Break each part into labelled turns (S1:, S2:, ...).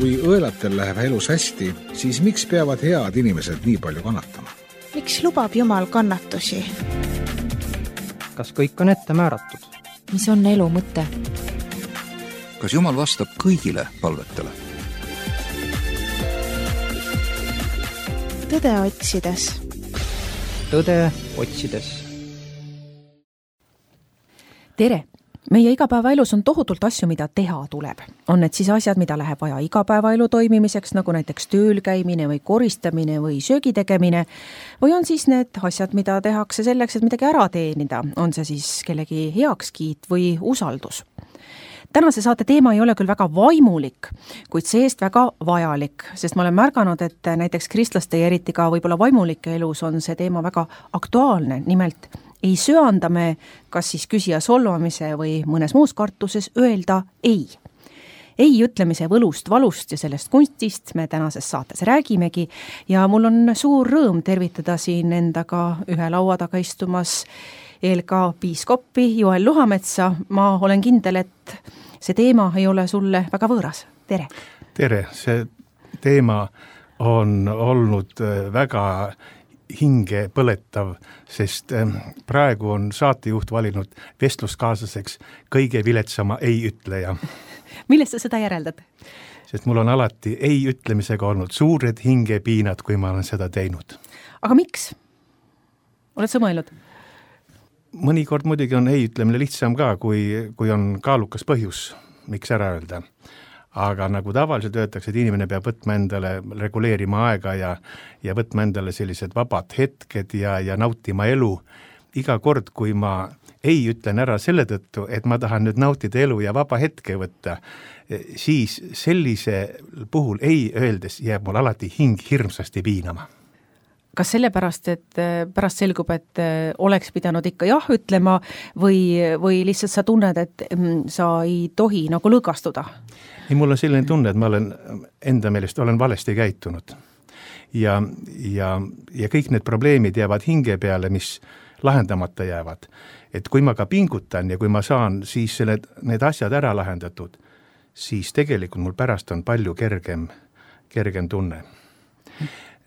S1: Kui õelatel läheb elus hästi, siis miks peavad head inimesed nii palju kannatama?
S2: Miks lubab Jumal kannatusi?
S3: Kas kõik on ette määratud?
S4: Mis on elu mõte?
S5: Kas Jumal vastab kõigile palvetele?
S2: Tõde otsides.
S3: Tõde otsides.
S4: Tere! Meie igapäevaelus on tohutult asju, mida teha tuleb. On need siis asjad, mida läheb vaja igapäevaelu toimimiseks, nagu näiteks tööl käimine või koristamine või söögi tegemine, või on siis need asjad, mida tehakse selleks, et midagi ära teenida, on see siis kellegi heakskiit või usaldus. Tänase saate teema ei ole küll väga vaimulik, kuid seest väga vajalik, sest ma olen märganud, et näiteks kristlaste ja eriti ka võib-olla vaimulike elus on see teema väga aktuaalne, nimelt ei söanda me kas siis küsija solvamise või mõnes muus kartuses öelda ei. Ei ütlemise võlust, valust ja sellest kunstist me tänases saates räägimegi ja mul on suur rõõm tervitada siin endaga ühe laua taga istumas ELK piiskoppi Joel Luhametsa. Ma olen kindel, et see teema ei ole sulle väga võõras. Tere!
S6: Tere! See teema on olnud väga hinge põletav, sest praegu on saatejuht valinud vestluskaaslaseks kõige viletsama ei-ütleja.
S4: Millest sa seda järeldad?
S6: Sest mul on alati ei-ütlemisega olnud suured hingepiinad, kui ma olen seda teinud.
S4: Aga miks? Oled sa mõelnud?
S6: Mõnikord muidugi on ei-ütlemine lihtsam ka, kui on kaalukas põhjus, miks ära öelda. Aga nagu tavaliselt öeldakse, et inimene peab võtma endale, reguleerima aega ja võtma endale sellised vabad hetked ja nautima elu. Iga kord, kui ma ei ütlen ära selle tõttu, et ma tahan nüüd nautida elu ja vaba hetke võtta, siis sellise puhul ei öeldes jääb mul alati hing hirmsasti piinama.
S4: Kas sellepärast, et pärast selgub, et oleks pidanud ikka jah ütlema või lihtsalt sa tunned, et sa ei tohi nagu lõõgastuda?
S6: Ei, mul on selline tunne, et ma olen enda meelest olen valesti käitunud. Ja kõik need probleemid jäävad hinge peale, mis lahendamata jäävad. Et kui ma ka pingutan ja kui ma saan siis need asjad ära lahendatud, siis tegelikult mul pärast on palju kergem tunne.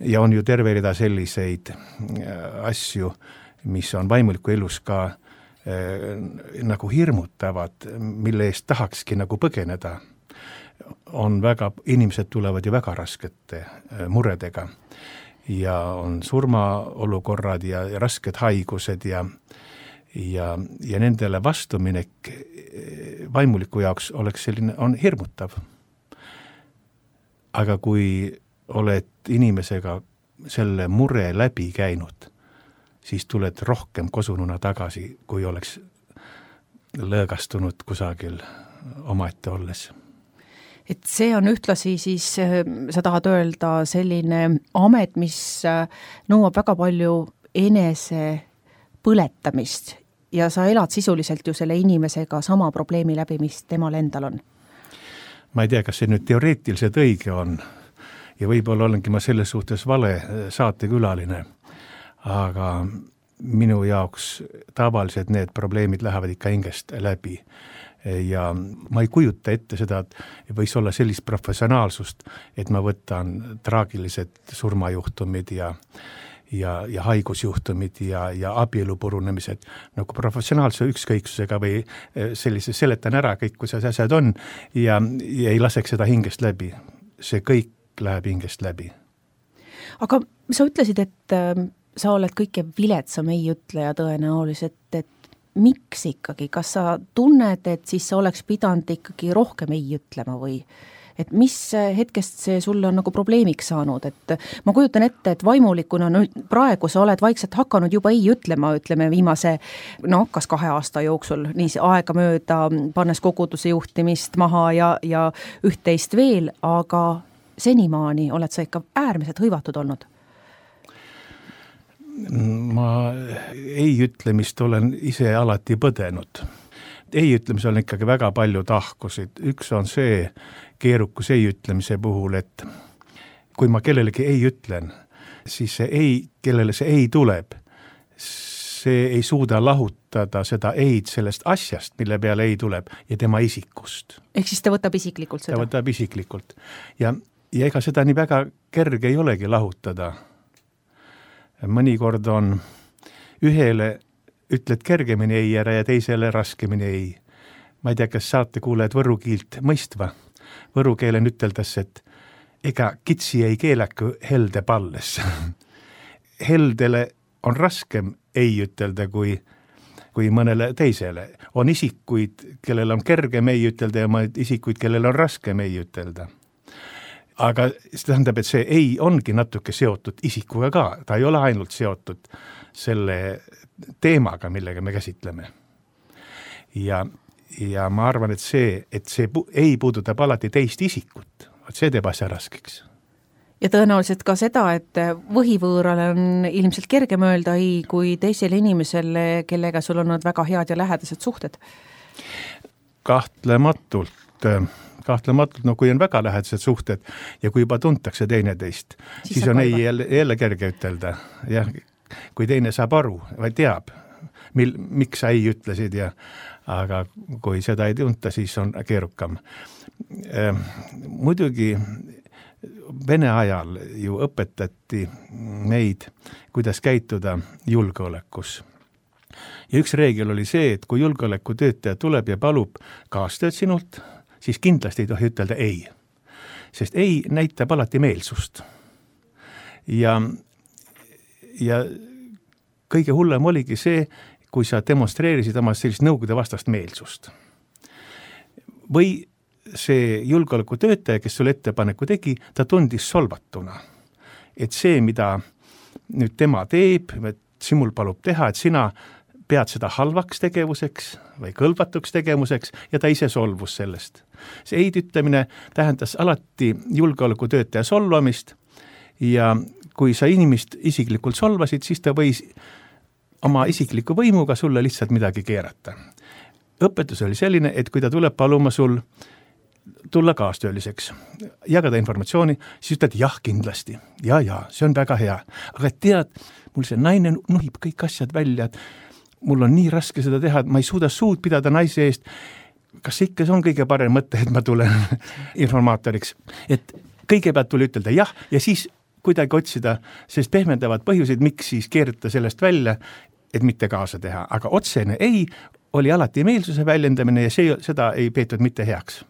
S6: Ja on ju terve rida selliseid asju, mis on vaimuliku elus ka nagu hirmutavad, mille eest tahakski nagu põgeneda. Inimesed tulevad ju väga raskete muredega ja on surmaolukorrad ja rasked haigused ja nendele vastuminek vaimuliku jaoks oleks selline, on hirmutav. Aga kui oled inimesega selle mure läbi käinud, siis tuled rohkem kosununa tagasi, kui oleks lõõgastunud kusagil omaette olles.
S4: Et see on ühtlasi siis, sa tahad öelda, selline amet, mis nõuab väga palju enese põletamist ja sa elad sisuliselt ju selle inimesega sama probleemi läbi, mis temal endal on.
S6: Ma ei tea, kas see nüüd teoreetiliselt õige on ja võib-olla olengi ma selles suhtes vale saatekülaline, aga minu jaoks tavaliselt need probleemid lähevad ikka hingest läbi. Ja ma ei kujuta ette seda, et võis olla sellist professionaalsust, et ma võtan traagilised surmajuhtumid ja haigusjuhtumid ja abielu purunemised nagu professionaalse ükskõiksusega või sellise seletan ära kõik, kui see asjad on ja ei laseks seda hingest läbi. See kõik läheb hingest läbi.
S4: Aga sa ütlesid, et sa oled kõige viletsam ei-ütleja tõenäoliselt, et miks ikkagi? Kas sa tunned, et siis sa oleks pidanud ikkagi rohkem ei ütlema või? Et mis hetkest see sulle on nagu probleemiks saanud? Et ma kujutan ette, et vaimulikuna praegu sa oled vaikselt hakanud juba ei ütlema, ütleme viimase, kas 2 aasta jooksul, nii aega mööda, pannes koguduse juhtimist maha ja üht-teist veel, aga senimaani oled sa ikka äärmiselt hõivatud olnud?
S6: Ma ei ütlemist olen ise alati põdenud. Ei ütlemise on ikkagi väga palju tahkusid. Üks on see keerukus ei ütlemise puhul, et kui ma kellelegi ei ütlen, siis see ei, kellele see ei tuleb, see ei suuda lahutada seda eid sellest asjast, mille peale ei tuleb ja tema isikust.
S4: Ehk siis ta võtab isiklikult seda?
S6: Ta võtab isiklikult. Ja ega seda nii väga kerge ei olegi lahutada. Mõnikord on ühele ütled kergemini ei ära ja teisele raskemini ei. Ma ei tea, kas saate kuulajad võru kiilt mõistva. Võru keelen üteldas, et ega kitsi ei keelaku helde palles. Heldele on raskem ei ütelda kui mõnele teisele. On isikuid, kellel on kergem ei ütelda ja isikuid, kellel on raskem ei ütelda. Aga see tähendab, et see ei ongi natuke seotud isikuga ka. Ta ei ole ainult seotud selle teemaga, millega me käsitleme. Ja ma arvan, et see ei puudutab alati teist isikut. See teeb asja raskeks.
S4: Ja tõenäoliselt ka seda, et võhivõõrale on ilmselt kergem öelda ei kui teisele inimesele, kellega sul on olnud väga head ja lähedased suhted.
S6: Kahtlematult, no kui on väga lähedased suhted ja kui juba tuntakse teineteist, siis on ei jälle kerge ütelda. Ja kui teine saab aru või teab, miks sa ei ütlesid, aga kui seda ei tunta, siis on keerukam. Muidugi Vene ajal ju õpetati meid, kuidas käituda julgeolekus. Ja üks reegel oli see, et kui julgeolekutöötaja tuleb ja palub kaastööd sinult, siis kindlasti ei tohi ütelda ei. Sest ei näitab alati meelsust. Ja kõige hullem oligi see, kui sa demonstreerisid oma sellist nõukogude vastast meelsust. Või see julgeolekutöötaja, kes sulle ettepaneku tegi, ta tundis solvatuna. Et see, mida nüüd tema teeb, et simul palub teha, et sina pead seda halvaks tegevuseks või kõlvatuks tegevuseks ja ta ise solvus sellest. See eid ütlemine tähendas alati julgeolekutöötaja solvamist ja kui sa inimest isiklikult solvasid, siis ta võis oma isikliku võimuga sulle lihtsalt midagi keerata. Õpetus oli selline, et kui ta tuleb paluma sul tulla kaastööliseks, jagada informatsiooni, siis ütled jah kindlasti. Ja, see on väga hea. Aga tead, mul see naine nuhib kõik asjad välja, et mul on nii raske seda teha, et ma ei suuda suud pidada naise eest. Kas ikka see on kõige parem mõte, et ma tulen informaatoriks? Et kõigepealt tuli ütelda jah ja siis kuidagi otsida, sest pehmendavad põhjuseid, miks siis keerata sellest välja, et mitte kaasa teha. Aga otsene ei oli alati meelsuse väljendamine ja seda ei peetud mitte heaks.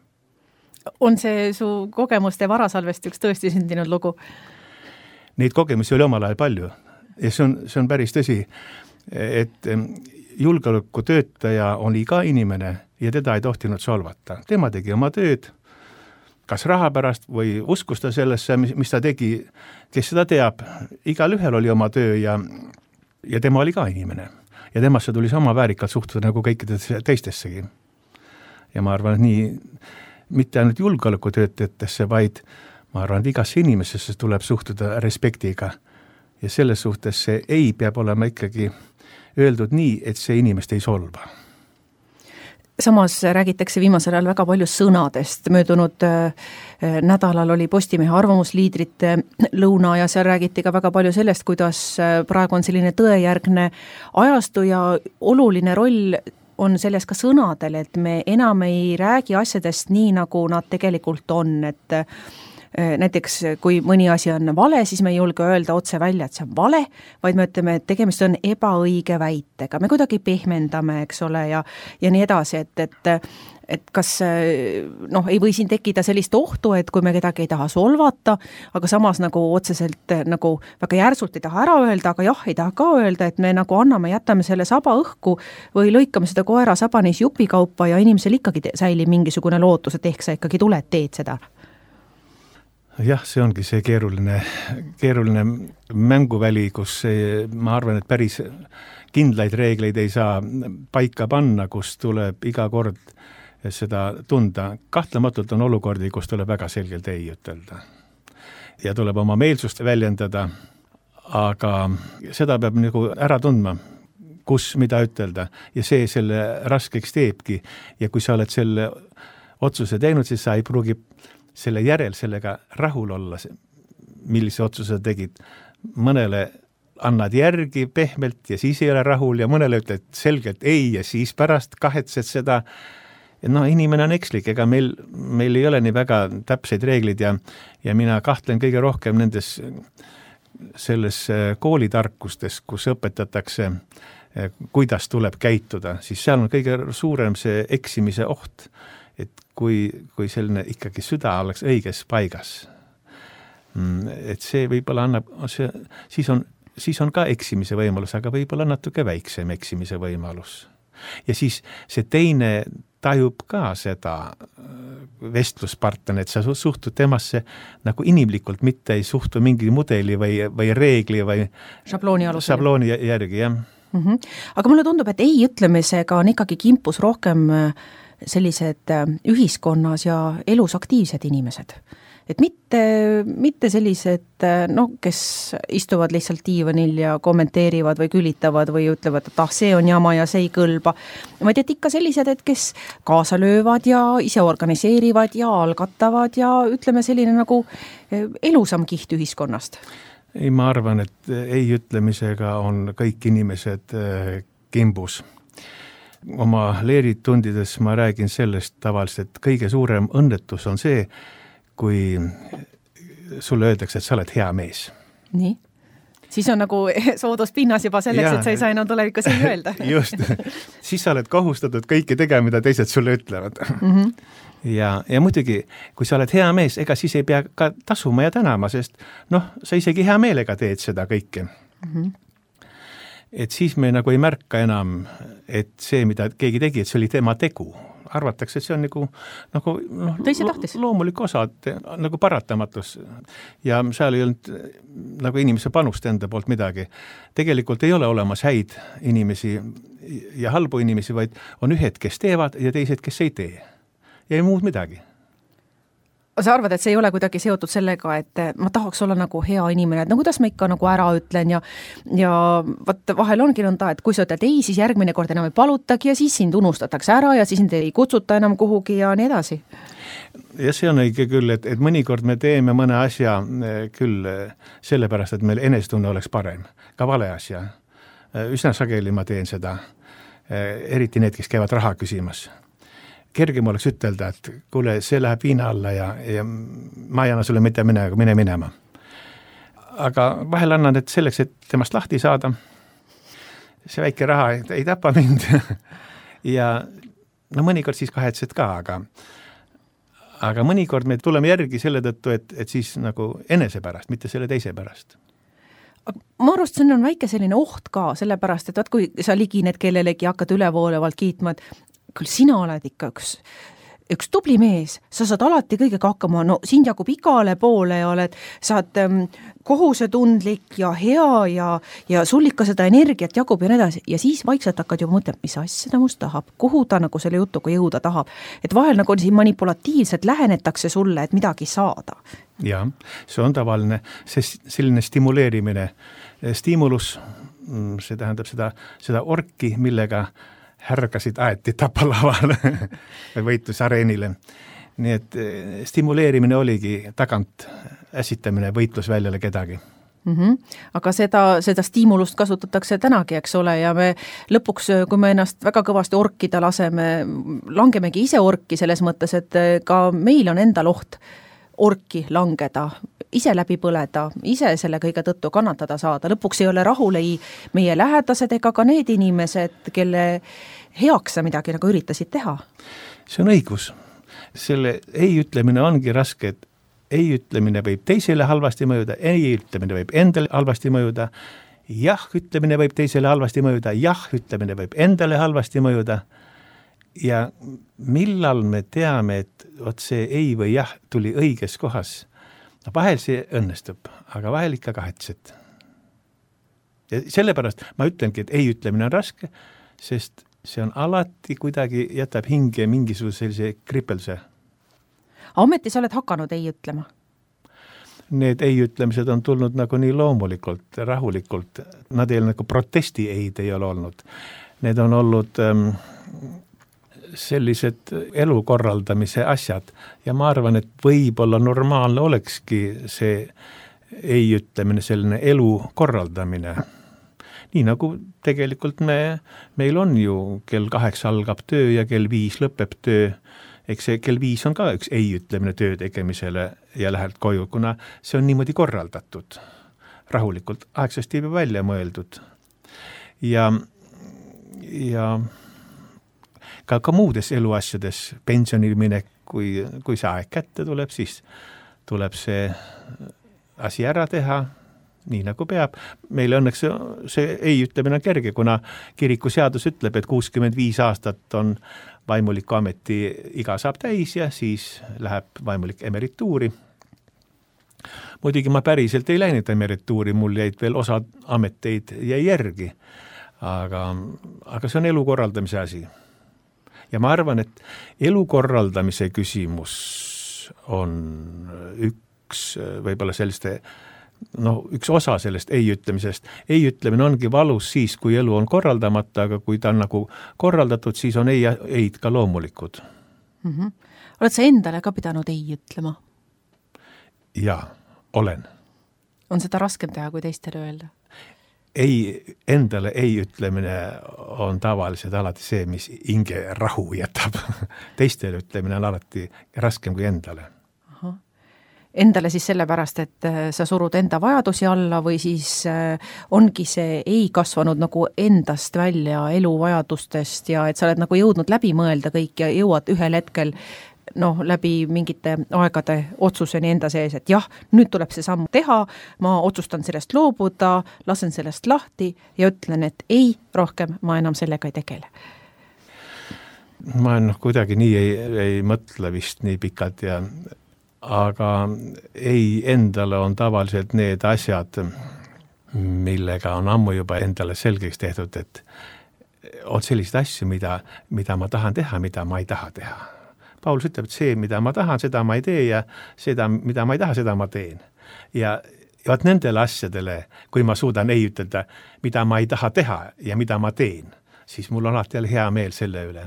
S4: On see su kogemuste varasalvest üks tõesti sündinud lugu?
S6: Neid kogemusi oli omal ajal palju ja see on päris tõsi, et julgeolekutöötaja oli ka inimene ja teda ei tohtinud solvata. Tema tegi oma tööd, kas raha pärast või uskus ta sellesse, mis ta tegi, kes seda teab. Igal ühel oli oma töö ja tema oli ka inimene ja temasse tuli sama väärikalt suhtuda nagu kõikidesse teistessegi. Ja ma arvan, et nii mitte ainult julgeolekutöötajatesse, vaid ma arvan, et igasse inimesesse tuleb suhtuda respektiga. Ja selles suhtes see ei peab olema ikkagi öeldud nii, et see inimest ei solva.
S4: Samas räägitakse viimasel ajal väga palju sõnadest. Möödunud nädalal oli Postimehe arvamusliidrite lõuna ja seal räägiti ka väga palju sellest, kuidas praegu on selline tõejärgne ajastu ja oluline roll on selles ka sõnadel, et me enam ei räägi asjadest nii, nagu nad tegelikult on, et näiteks kui mõni asi on vale, siis me ei julge öelda otse välja, et see on vale, vaid me ütleme, et tegemist on ebaõige väitega. Me kuidagi pehmendame, eks ole, ja nii edasi, et kas ei või siin tekkida sellist ohtu, et kui me kedagi ei taha solvata, aga samas nagu otseselt nagu väga järsult ei taha ära öelda, aga jah, ei taha ka öelda, et me nagu jätame selle saba õhku või lõikame seda koera sabanis jupikaupa ja inimesel ikkagi säilib mingisugune lootus, et ehk sa ikkagi tuled, teed seda.
S6: Jah, see ongi see keeruline mänguväli, kus ma arvan, et päris kindlaid reegleid ei saa paika panna, kus tuleb iga kord seda tunda. Kahtlematult on olukordi, kus tuleb väga selgelt ei ütelda. Ja tuleb oma meelsust väljendada, aga seda peab nagu ära tundma, kus mida ütelda. Ja see selle raskeks teebki. Ja kui sa oled selle otsuse teinud, siis sa ei pruugi selle järel sellega rahul olla, millise otsuse tegid. Mõnele annad järgi pehmelt ja siis ei ole rahul ja mõnele ütled selgelt ei ja siis pärast kahetsed seda. Inimene on ekslik, ega meil ei ole nii väga täpseid reeglid ja mina kahtlen kõige rohkem nendes selles koolitarkustes, kus õpetatakse, kuidas tuleb käituda, siis seal on kõige suurem see eksimise oht, et kui selline ikkagi süda oleks õiges paigas, et see võib-olla annab, siis on ka eksimise võimalus, aga võib-olla natuke väiksem eksimise võimalus. Ja siis see teine tajub ka seda vestluspartner, et sa suhtud temasse nagu inimlikult, mitte ei suhtu mingi mudeli või reegli või šablooni järgi, jah.
S4: Aga mulle tundub, et ei ütlemisega on ikkagi kimpus rohkem sellised ühiskonnas ja elus aktiivsed inimesed. Et mitte sellised, kes istuvad lihtsalt diivanil ja kommenteerivad või külitavad või ütlevad, et see on jama ja see ei kõlba. Vaid et ikka sellised, et kes kaasa löövad ja ise organiseerivad ja algatavad ja ütleme selline nagu elusam kiht ühiskonnast.
S6: Ei, ma arvan, et ei ütlemisega on kõik inimesed kimbus. Oma leeritundides ma räägin sellest tavaliselt, et kõige suurem õnnetus on see, kui sulle öeldakse, et sa oled hea mees.
S4: Nii? Siis on nagu sooduspinnas juba selleks, et sa ei saa enam tulevikus ei öelda.
S6: Just. Siis sa oled kohustatud kõike tegema, mida teised sulle ütlevad. Ja muidugi, kui sa oled hea mees, ega siis ei pea ka tasuma ja tänama, sest sa isegi hea meelega teed seda kõike. Et siis me nagu ei märka enam, et see, mida keegi tegi, et see oli tema tegu. Arvatakse, et see on nagu loomulik osa, nagu paratamatus. Ja seal ei olnud nagu inimese panust enda poolt midagi. Tegelikult ei ole olemas häid inimesi ja halbu inimesi, vaid on ühed, kes teevad ja teised, kes ei tee. Ja ei muud midagi.
S4: Sa arvad, et see ei ole kuidagi seotud sellega, et ma tahaks olla nagu hea inimene, et kuidas ma ikka nagu ära ütlen ja vahel ongi nõnda, et kui sa ütled ei, siis järgmine kord enam ei palutagi ja siis sind unustatakse ära ja siis sind ei kutsuta enam kuhugi ja nii edasi.
S6: Ja see on õige küll, et mõnikord me teeme mõne asja küll sellepärast, et meil enestunne oleks parem, ka vale asja. Üsna sageli ma teen seda, eriti need, kes käivad raha küsimas. Kergem oleks ütelda, et kuule, see läheb viina alla ja ma ei anna sulle mitte mine minema. Aga vahel annan, et selleks, et temast lahti saada, see väike raha ei tapa mind. Ja mõnikord siis kahetsed ka, aga mõnikord me tuleme järgi selle tõttu, et siis nagu enese pärast, mitte selle teise pärast.
S4: Ma arvast, see on väike selline oht ka, sellepärast, et kui sa ligined kellelegi ja hakkad ülevoolevalt kiitma, et küll sina oled ikka üks tubli mees, sa saad alati kõigega hakkama, sind jagub igale poole ja sa oled kohusetundlik ja hea ja sul ikka seda energiat jagub ja nii edasi. Ja siis vaikselt hakkad juba mõtlema, mis asja ta must tahab, kuhu ta nagu selle jutuga jõuda tahab. Et vahel nagu siin manipulatiivselt lähenetakse sulle, et midagi saada.
S6: Ja, see on tavaline, selline stimuleerimine. Stimulus, see tähendab seda orki, millega härgasid aeti tapalavale või võitlusareenile. Nii et stimuleerimine oligi tagant äsitamine võitlusväljale kedagi.
S4: Aga seda stimulust kasutatakse tänagi, eks ole, ja me lõpuks, kui me ennast väga kõvasti orkida laseme, langemegi ise orki selles mõttes, et ka meil on endal oht orki langeda, ise läbi põleda, ise selle kõige tõttu kannatada saada. Lõpuks ei ole rahul ei meie lähedased ega ka need inimesed, kelle heaks sa midagi nagu üritasid teha.
S6: See on õigus. Selle ei ütlemine ongi raske, et ei ütlemine võib teisele halvasti mõjuda, ei ütlemine võib endale halvasti mõjuda, jah ütlemine võib teisele halvasti mõjuda, jah ütlemine võib endale halvasti mõjuda. Ja millal me teame, et see ei või jah tuli õiges kohas? Vahel see õnnestub, aga vahel ikka kahetsed. Ja sellepärast ma ütlengi, et ei ütlemine on raske, sest see on alati kuidagi jätab hinge mingisuguse sellise kripelduse.
S4: Ometi sa oled hakanud ei ütlema?
S6: Need ei ütlemised on tulnud nagu nii loomulikult, rahulikult. Nad ei ole nagu protesti ei ole olnud. Need on olnud sellised elukorraldamise asjad ja ma arvan, et võib-olla normaalne olekski see ei ütlemine, selline elu korraldamine. Nii nagu tegelikult meil on ju kell 8 algab töö ja kell 5 lõpeb töö. Eks see kell 5 on ka üks ei ütlemine töö tegemisele ja lähed koju, kuna see on niimoodi korraldatud. Rahulikult, aegsasti juba välja mõeldud. Ja ka muudes eluasjades, pensionil minek, kui see aeg kätte tuleb, siis tuleb see asi ära teha, nii nagu peab. Meile õnneks see ei ütlemine on kerge, kuna kirikuseadus ütleb, et 65 aastat on vaimuliku ameti iga saab täis ja siis läheb vaimulik emerituuri. Muidugi ma päriselt ei läinud emerituuri, mul jäid veel osa ameteid jäi järgi, aga see on elu korraldamise asi. Ja ma arvan, et elu korraldamise küsimus on võib-olla selliste, üks osa sellest ei ütlemisest. Ei ütlemine ongi valus siis, kui elu on korraldamata, aga kui ta on nagu korraldatud, siis on eid ka loomulikud.
S4: Oled sa endale ka pidanud ei ütlema?
S6: Jaa, olen.
S4: On seda raskem teha, kui teistele öelda?
S6: Endale ei ütlemine on tavaliselt alati see, mis hinge rahu jätab. Teistele ütlemine on alati raskem kui endale.
S4: Endale siis sellepärast, et sa surud enda vajadusi alla või siis ongi see ei kasvanud nagu endast välja elu vajadustest ja et sa oled nagu jõudnud läbi mõelda kõik ja jõuad ühel hetkel läbi mingite aegade otsuseni enda sees, et jah, nüüd tuleb see samm teha, ma otsustan sellest loobuda, lasen sellest lahti ja ütlen, et ei, rohkem ma enam sellega ei tegele.
S6: Ma kuidagi nii ei mõtle vist nii pikalt aga ei endale on tavaliselt need asjad, millega on ammu juba endale selgeks tehtud, et on sellised asju, mida ma tahan teha, mida ma ei taha teha. Paulus ütleb, et see, mida ma tahan, seda ma ei tee ja seda, mida ma ei taha, seda ma teen. Ja vaat nendele asjadele, kui ma suudan ei ütelda, mida ma ei taha teha ja mida ma teen, siis mul on alati hea meel selle üle.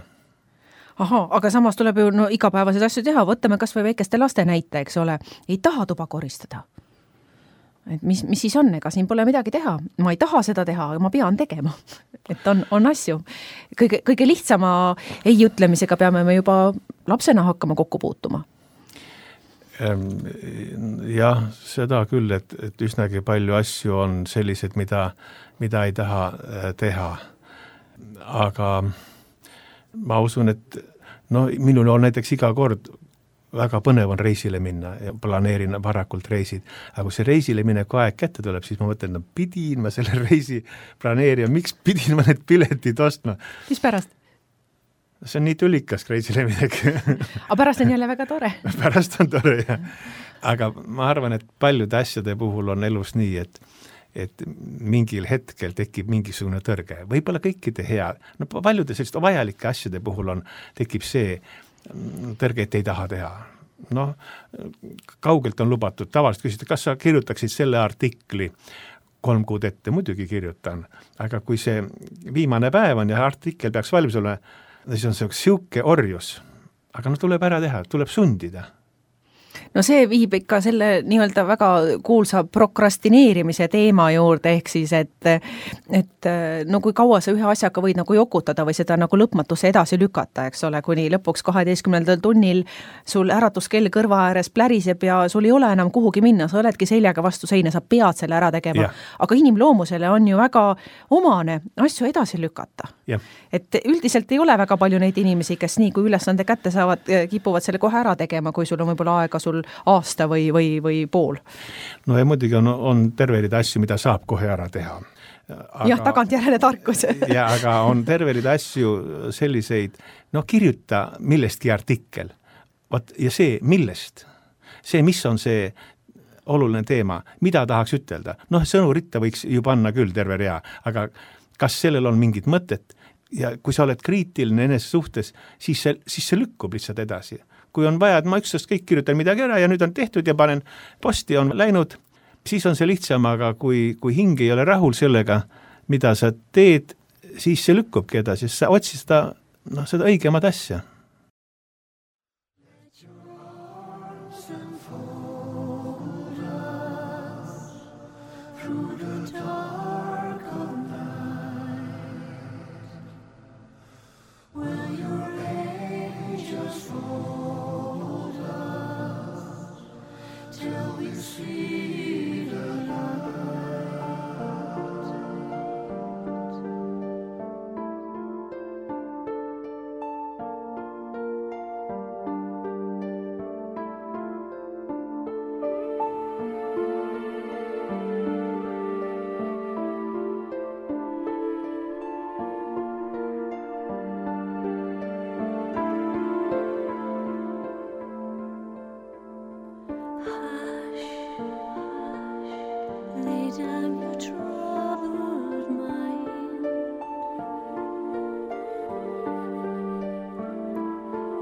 S4: Aga samas tuleb ju igapäevaseid asju teha, võtame kas või väikeste laste näite, eks ole, ei taha tuba koristada. Et mis siis on, ega siin pole midagi teha, ma ei taha seda teha, aga ma pean tegema, et on asju. Kõige lihtsama ei ütlemisega peame me juba lapsena hakkama kokku puutuma.
S6: Jah, seda küll, et üsnagi palju asju on sellised, mida ei taha teha, aga ma usun, et minul on näiteks iga kord väga põnev on reisile minna ja planeerin varakult reisid. Aga kui see reisile mineku aeg kätte tuleb, siis ma mõtlen, pidin ma selle reisi planeerima, miks pidin ma need piletid ostma?
S4: Mis pärast?
S6: See on nii tülikas reisile minek.
S4: Aga pärast on jälle väga tore.
S6: Pärast on tore, jah. Aga ma arvan, et paljude asjade puhul on elus nii, et mingil hetkel tekib mingisugune tõrge. Võib-olla kõikide hea, paljude selliste vajalike asjade puhul tekib see tõrge, et ei taha teha. Kaugelt on lubatud. Tavaliselt küsida, kas sa kirjutaksid selle artikli 3 kuud ette? Muidugi kirjutan. Aga kui see viimane päev on ja artikkel peaks valmis olema, siis on see siuke orjus. Aga tuleb ära teha, tuleb sundida.
S4: See viib ikka selle nii-öelda väga kuulsa prokrastineerimise teema juurde, ehk siis, et kui kaua sa ühe asjaga võid nagu jokutada või seda nagu lõpmatusse edasi lükata, eks ole, kuni lõpuks 12. tunnil sul äratuskell kõrva ääres pläriseb ja sul ei ole enam kuhugi minna, sa oledki seljaga vastu seina, sa pead selle ära tegema. Aga inimloomusele on ju väga omane asju edasi lükata. Et üldiselt ei ole väga palju neid inimesi, kes nii kui ülesande kätte saavad, kipuvad selle kohe ära tegema, kui sul on võib-olla aega sul aasta või pool.
S6: Ja muidugi on terveid asju, mida saab kohe ära teha.
S4: Jah, tagantjärele tarkus.
S6: Aga on terveid asju selliseid, kirjuta millestki artikkel. Ja see, millest? See, mis on see oluline teema, mida tahaks ütelda? Sõnuritta võiks ju panna küll terve rea, aga kas sellel on mingit mõtet? Ja kui sa oled kriitiline enese suhtes, siis see lükkub lihtsalt edasi. Kui on vaja, et ma üksteist kõik kirjutan midagi ära ja nüüd on tehtud ja panen posti on läinud, siis on see lihtsam, aga kui hing ei ole rahul sellega, mida sa teed, siis see lükkubki edasi, sa otsid seda õigemat asja.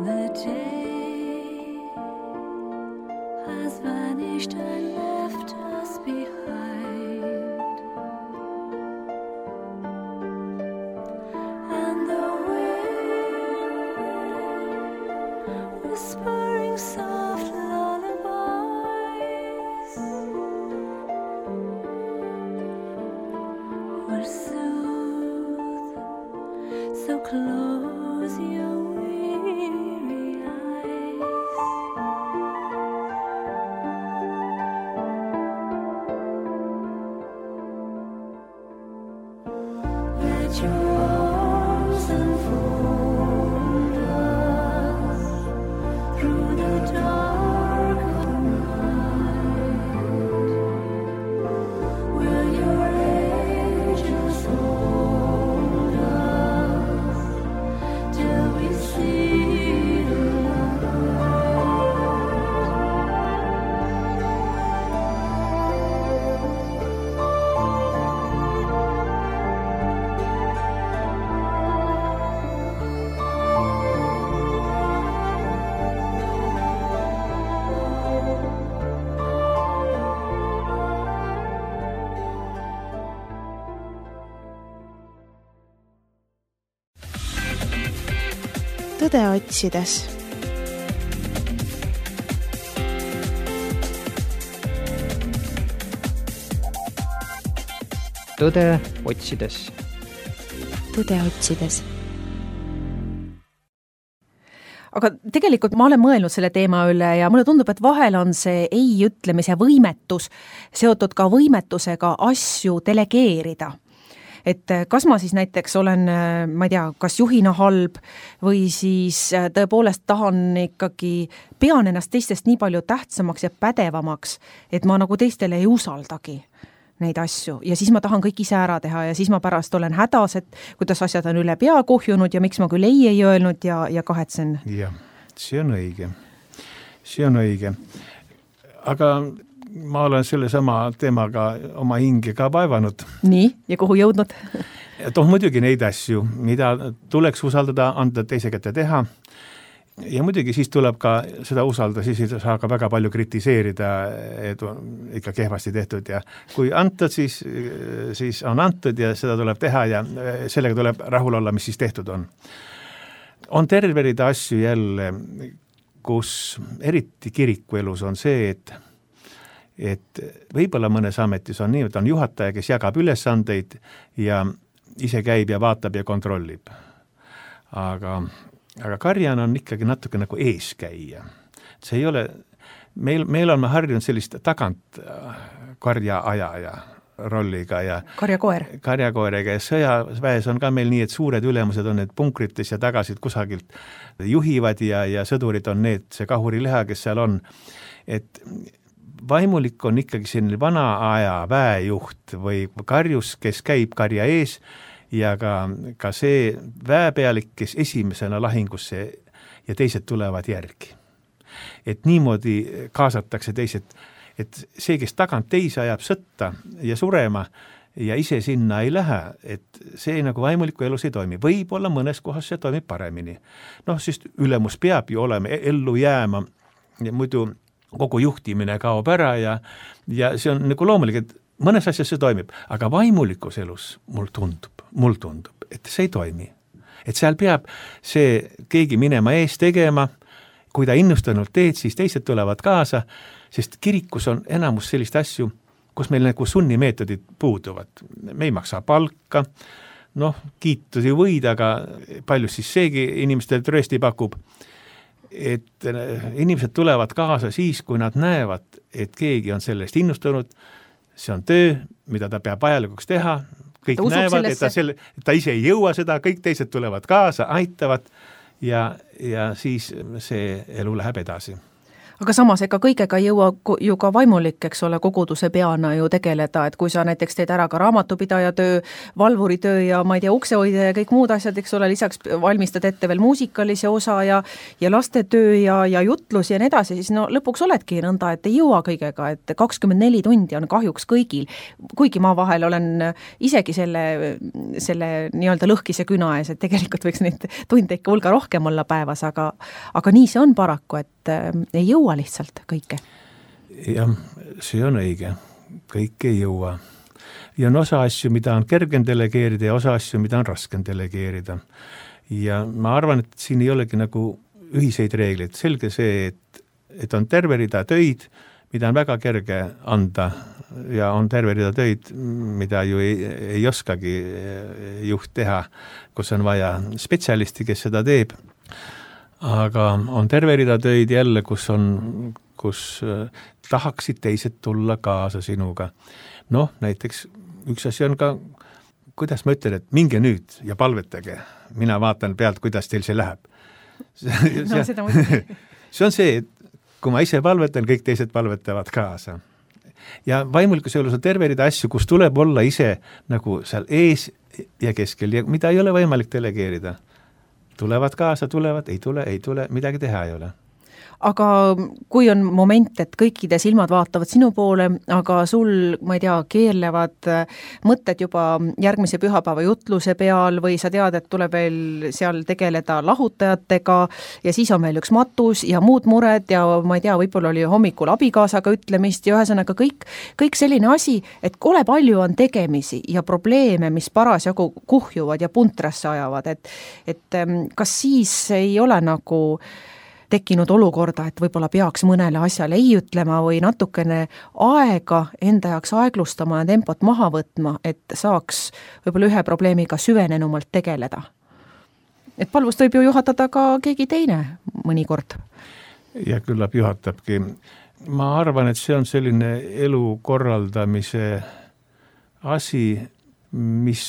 S7: The day has vanished and left us behind, and the wind whispering soft lullabies will soothe, so close your weary eyes. Let your arms enfold us through the dark of night. Will your angels hold us till we see the
S2: tõde otsides.
S3: Tõde otsides.
S2: Tõde otsides.
S4: Aga tegelikult ma olen mõelnud selle teema üle ja mulle tundub, et vahel on see ei ütlemise võimetus seotud ka võimetusega asju delegeerida. Et kas ma siis näiteks olen, ma ei tea, kas juhina halb või siis tõepoolest pean ennast teistest nii palju tähtsamaks ja pädevamaks, et ma nagu teistele ei usaldagi neid asju ja siis ma tahan kõik ise ära teha ja siis ma pärast olen hädas, et kuidas asjad on üle pea kuhjunud ja miks ma küll ei öelnud ja kahetsen.
S6: Jah, see on õige. See on õige. Aga ma olen selle sama teemaga oma hinge ka vaevanud.
S4: Nii, ja kuhu jõudnud?
S6: Muidugi neid asju, mida tuleks usaldada, anda teise kätte teha. Ja muidugi siis tuleb ka seda usaldada, siis saa ka väga palju kritiseerida, et on ikka kehvasti tehtud ja kui antud, siis on antud ja seda tuleb teha ja sellega tuleb rahul olla, mis siis tehtud on. On terve rida asju jälle, kus eriti kirikuelus on see, et võib-olla mõnes ametis on nii, et on juhataja, kes jagab ülesandeid ja ise käib ja vaatab ja kontrollib. Aga karjan on ikkagi natuke nagu eeskäija. See ei ole, meil on harjunud sellist tagant karja ajaja rolliga ja karjakoerega ja sõjaväes on ka meil nii, et suured ülemused on need punkrites ja tagasid kusagilt juhivad ja sõdurid on need, see kahurileha, kes seal on. Et vaimulik on ikkagi selline vana aja väejuht või karjus, kes käib karja ees ja ka see väepealik, kes esimesena lahingusse ja teised tulevad järgi. Et niimoodi kaasatakse teised, et see, kes tagant teise ajab sõtta ja surema ja ise sinna ei lähe, et see nagu vaimuliku elus ei toimi. Võib-olla mõnes kohas see toimib paremini. Sest ülemus peab ju olema ellu jääma ja muidu kogu juhtimine kaob ära ja see on nagu loomulik, et mõnes asjas see toimib, aga vaimulikus elus mul tundub, et see ei toimi. Et seal peab see keegi minema ees tegema, kui ta innustunult teed, siis teised tulevad kaasa, sest kirikus on enamus sellist asju, kus meil nagu sunnimeetodid puuduvad. Me ei maksa palka, noh, kiitusi võid, aga palju siis seegi inimestele tröösti pakub, et inimesed tulevad kaasa siis, kui nad näevad, et keegi on sellest innustunud, see on töö, mida ta peab vajalikuks teha, kõik näevad, et ta ise ei jõua seda, kõik teised tulevad kaasa, aitavad ja siis see elu läheb edasi.
S4: Aga samas ega kõigega ei jõua ju ka vaimulik, eks ole, koguduse peana ju tegeleda, et kui sa näiteks teed ära ka raamatupidaja töö, valvuri töö ja ma ei tea, uksehoidja ja kõik muud asjad, eks ole, lisaks valmistad ette veel muusikalise osa ja lastetöö ja jutlus ja nii edasi, siis no lõpuks oledki nõnda, et ei jõua kõigega, et 24 tundi on kahjuks kõigil, kuigi ma vahel olen isegi selle nii-öelda lõhkise küna ees, et tegelikult võiks neid tunde ikka hulga rohkem olla päevas, aga nii see on paraku, et ei jõua lihtsalt kõike.
S6: Jah, see on õige. Kõik ei jõua. Ja on osa asju, mida on kergem delegeerida ja osa asju, mida on raskem delegeerida. Ja ma arvan, et siin ei olegi nagu ühiseid reegleid. Selge see, et on terve rida töid, mida on väga kerge anda ja on terve rida töid, mida ju ei oskagi juht teha, kus on vaja spetsialisti, kes seda teeb. Aga on terve rida töid jälle, kus tahaksid teised tulla kaasa sinuga. Noh, näiteks üks asi on ka, kuidas ma ütlen, et minge nüüd ja palvetage. Mina vaatan pealt, kuidas teil see läheb. See on see, et kui ma ise palvetan, kõik teised palvetavad kaasa. Ja vaimulikus elus on terve rida asju, kus tuleb olla ise nagu seal ees ja keskel ja mida ei ole võimalik delegeerida. Tulevad kaasa, tulevad, ei tule, midagi teha ei ole.
S4: Aga kui on moment, et kõikide silmad vaatavad sinu poole, aga sul, ma ei tea, keerlevad mõtted juba järgmise pühapäeva jutluse peal või sa tead, et tuleb veel seal tegeleda lahutajatega ja siis on veel üks matus ja muud mured ja ma ei tea, võib-olla oli hommikul abikaasaga ütlemist ja ühesõnaga kõik selline asi, et kole palju on tegemisi ja probleeme, mis parasjagu kuhjuvad ja puntrasse ajavad, et kas siis ei ole nagu tekkinud olukorda, et võib-olla peaks mõnele asjale ei ütlema või natukene aega enda jaoks aeglustama ja tempot maha võtma, et saaks võib-olla ühe probleemiga süvenenumalt tegeleda. Et palvust võib ju juhatada ka keegi teine mõnikord.
S6: Ja küllap juhatabki. Ma arvan, et see on selline elu korraldamise asi, mis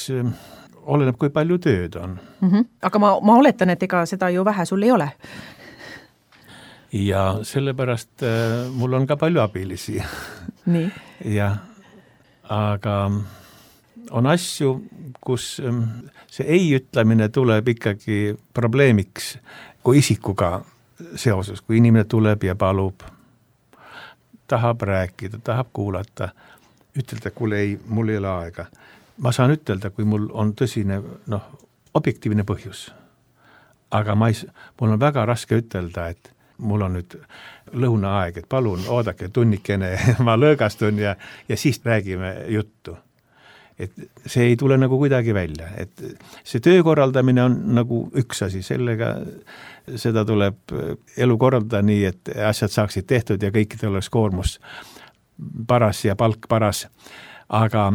S6: oleneb, kui palju tööd on.
S4: Aga ma oletan, et ega seda ju vähe sul ei ole.
S6: Ja sellepärast mul on ka palju abilisi.
S4: Nii.
S6: Ja, aga on asju, kus see ei ütlemine tuleb ikkagi probleemiks kui isikuga seoses, kui inimene tuleb ja palub, tahab rääkida, tahab kuulata, ütelda, kuule ei, mul ei ole aega. Ma saan ütelda, kui mul on tõsine, objektiivne põhjus. Aga mul on väga raske ütelda, et mul on nüüd lõunaaeg, et palun oodake tunnikene, ma lõõgastun ja siis räägime juttu. Et see ei tule nagu kuidagi välja. Et see töö korraldamine on nagu üks asi, seda tuleb elu korraldada nii, et asjad saaksid tehtud ja kõikidel oleks koormus paras ja palk paras. Aga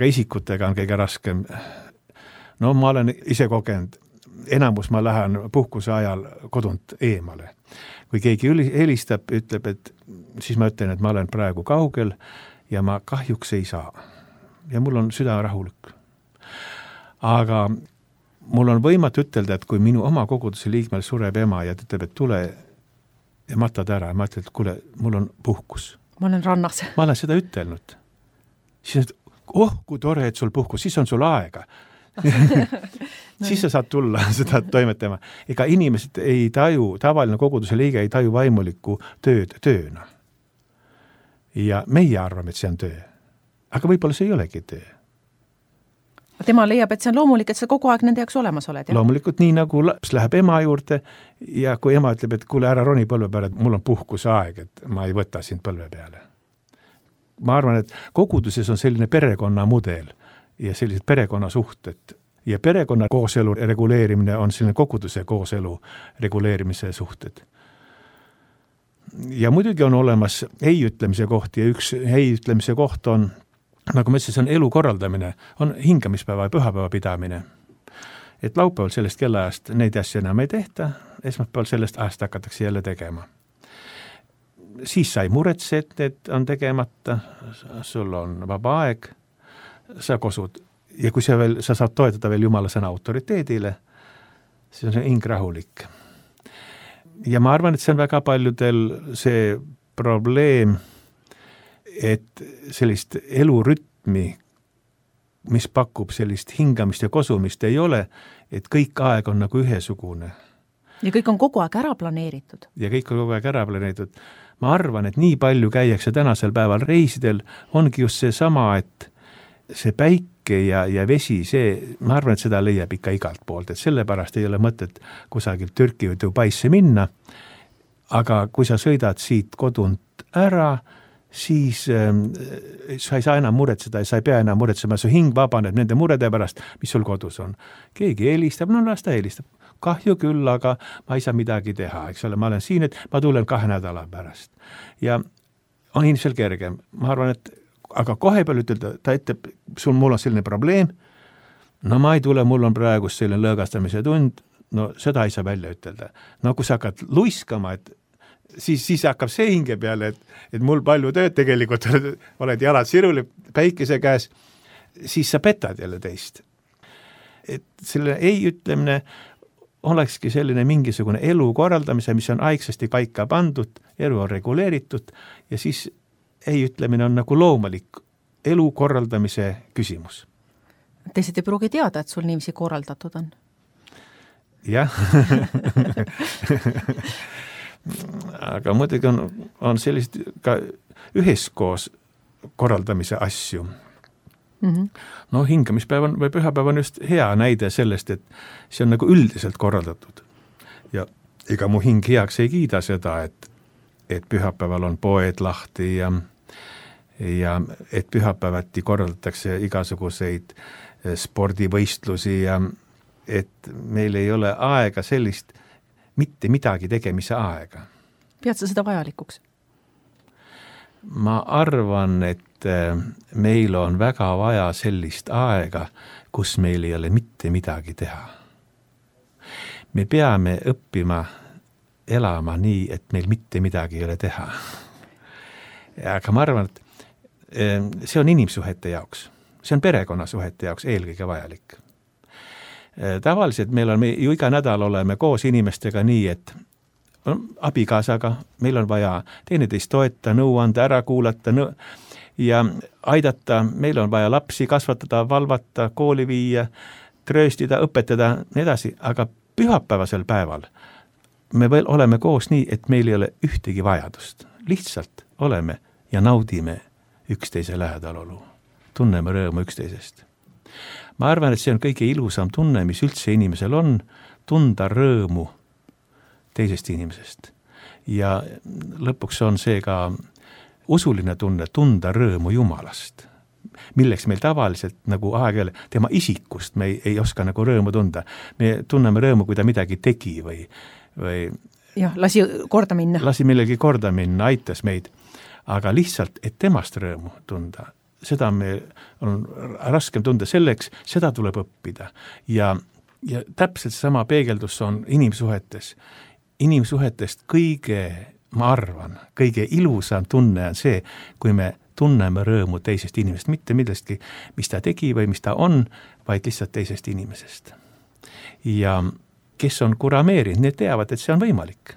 S6: isikutega on kõige raskem. No ma olen ise kogenud, enamus ma lähen puhkuse ajal kodunt eemale. Kui keegi helistab, ütleb, et siis ma ütlen, et ma olen praegu kaugel ja ma kahjuks ei saa. Ja mul on süda rahulik. Aga mul on võimatu ütelda, et kui minu oma koguduse liikmel sureb ema ja ütleb, et tule ja matad ära, ma ütlen, et kuule, mul on puhkus.
S4: Ma olen rannas.
S6: Ma olen seda ütelnud. Siis kui tore, et sul puhkus, siis on sul aega. Siis sa saad tulla seda toimetama. Ega inimesed ei taju, tavaline koguduse liige ei taju vaimulikku tööd tööna. Ja meie arvame, et see on töö. Aga võib-olla see ei olegi töö.
S4: Tema leiab, et see on loomulik, et sa kogu aeg nende jaoks olemas oled. Ja?
S6: Loomulikult nii nagu laps läheb ema juurde ja kui ema ütleb, et kuule ära roni põlve peale, et mul on puhkusaeg, et ma ei võta sind põlve peale. Ma arvan, et koguduses on selline perekonna mudel ja sellised perekonnasuhted ja perekonna kooselu reguleerimine on selline koguduse kooselu reguleerimise suhted. ja muidugi on olemas ei ütlemise koht ja üks ei ütlemise koht on, nagu ma ütlesin, see on elu korraldamine, on hingamispäeva ja pühapäeva pidamine. Et laupäeval sellest kellaajast neid asju enam ei tehta, esmaspäeval sellest ajast hakatakse jälle tegema. Siis sa ei muretse, et need on tegemata, sul on vaba aeg, sa kosud ja kui sa saad toetada veel Jumala sõna autoriteedile, siis on see hing rahulik. Ja ma arvan, et see on väga paljudel see probleem, et sellist elurütmi, mis pakub sellist hingamist ja kosumist ei ole, et kõik aeg on nagu ühesugune.
S4: Ja kõik on kogu aeg ära planeeritud.
S6: Ja kõik on kogu aeg ära planeeritud. Ma arvan, et nii palju käiakse tänasel päeval reisidel, ongi just see sama, et see päike ja vesi, ma arvan, et seda leiab ikka igalt poolt, et sellepärast ei ole mõtet kusagilt Türki või Dubaisse minna, aga kui sa sõidad siit kodunt ära, siis sa ei saa enam muretseda ja sa ei pea enam muretsema, su hing vabaneb nende murede pärast, mis sul kodus on. Keegi helistab, no las ta helistab. Kahju küll, aga ma ei saa midagi teha, eks ole, ma olen siin, et ma tulen 2 nädala pärast. Ja on inimesel kergem. Ma arvan, et aga kohe peal ütelda, ta ütleb, mul on selline probleem, no ma ei tule, mul on praegu selline lõõgastamise tund, no seda ei saa välja ütelda. No kui sa hakkad luiskama, et siis hakkab see hinge peale, et mul palju tööd tegelikult, oled jalad siruli päikese käes, siis sa petad jälle teist. Et selle ei ütlemine olekski selline mingisugune elu korraldamise, mis on aigsasti paika pandud, elu on reguleeritud ja siis ei ütlemine on nagu loomulik elu korraldamise küsimus.
S4: Teised ei pruugi teada, et sul niiviisi korraldatud on.
S6: Jah. Aga muidugi on sellist ka üheskoos korraldamise asju. No hingamispäev või pühapäev on just hea näide sellest, et see on nagu üldiselt korraldatud. Ja ega mu hing heaks ei kiida seda, et pühapäeval on poed lahti ja et pühapäevati korraldatakse igasuguseid spordivõistlusi ja et meil ei ole aega sellist mitte midagi tegemise aega.
S4: Pead sa seda vajalikuks?
S6: Ma arvan, et meil on väga vaja sellist aega, kus meil ei ole mitte midagi teha. Me peame õppima elama nii, et meil mitte midagi ei ole teha. Aga ma arvan, et see on inimsuhete jaoks. See on perekonnasuhete jaoks eelkõige vajalik. Tavaliselt meil on, ju iga nädal oleme koos inimestega nii, et abikaasaga meil on vaja teineteist toeta, nõu anda, ära kuulata ja aidata, meil on vaja lapsi kasvatada, valvata, kooli viia, trööstida, õpetada, nii edasi, aga pühapäevasel päeval me veel oleme koos nii, et meil ei ole ühtegi vajadust. Lihtsalt oleme ja naudime üksteise lähedalolu. Tunneme rõõmu üksteisest. Ma arvan, et see on kõige ilusam tunne, mis üldse inimesel on, tunda rõõmu teisest inimesest. Ja lõpuks on see ka usuline tunne, tunda rõõmu Jumalast, milleks meil tavaliselt nagu aeg-ajal tema isikust me ei oska nagu rõõmu tunda. Me tunneme rõõmu, kui ta midagi tegi või
S4: jah, lasi korda minna.
S6: Lasi millegi korda minna, aitas meid. Aga lihtsalt, et temast rõõmu tunda, seda me on raskem tunda selleks, seda tuleb õppida. Ja täpselt sama peegeldus on inimsuhetes. Inimsuhetest kõige, ma arvan, kõige ilusam tunne on see, kui me tunneme rõõmu teisest inimesest, mitte millestki, mis ta tegi või mis ta on, vaid lihtsalt teisest inimesest. Ja kes on kurameerinud, need teavad, et see on võimalik.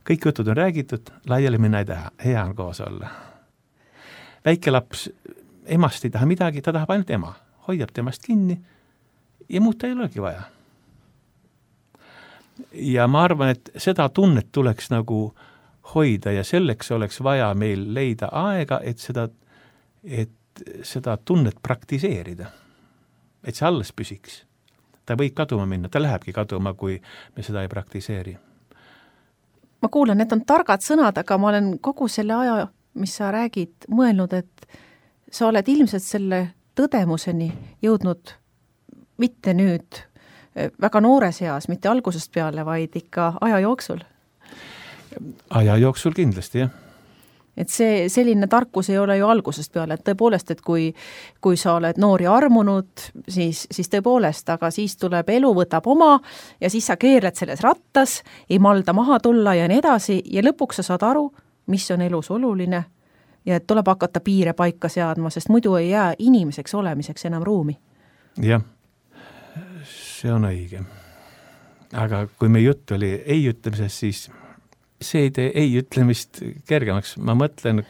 S6: Kõik jutud on räägitud, laiali minna ei taha, hea on koos olla. Väike laps, emast ei taha midagi, ta tahab ainult ema, hoiab temast kinni ja muud ta ei olegi vaja. Ja ma arvan, et seda tunnet tuleks nagu hoida ja selleks oleks vaja meil leida aega, et seda tunnet praktiseerida. Et see alles püsiks. Ta võib kaduma minna, ta lähebki kaduma, kui me seda ei praktiseeri.
S4: Ma kuulen, need on targad sõnad, aga ma olen kogu selle aja, mis sa räägid, mõelnud, et sa oled ilmselt selle tõdemuseni jõudnud mitte nüüd väga noores eas, mitte algusest peale, vaid ikka aja jooksul.
S6: aja jooksul kindlasti, jah.
S4: Et see selline tarkus ei ole ju algusest peale, et tõepoolest, et kui sa oled noor ja armunud, siis tõepoolest, aga siis tuleb elu, võtab oma ja siis sa keerled selles rattas, ei malda maha tulla ja nii edasi ja lõpuks sa saad aru, mis on elus oluline ja et tuleb hakata piire paika seadma, sest muidu ei jää inimeseks olemiseks enam ruumi.
S6: Jah, see on õige. Aga kui me jutt oli ei ütlemisest, siis see ei tee ei ütlemist kergemaks. Ma mõtlen,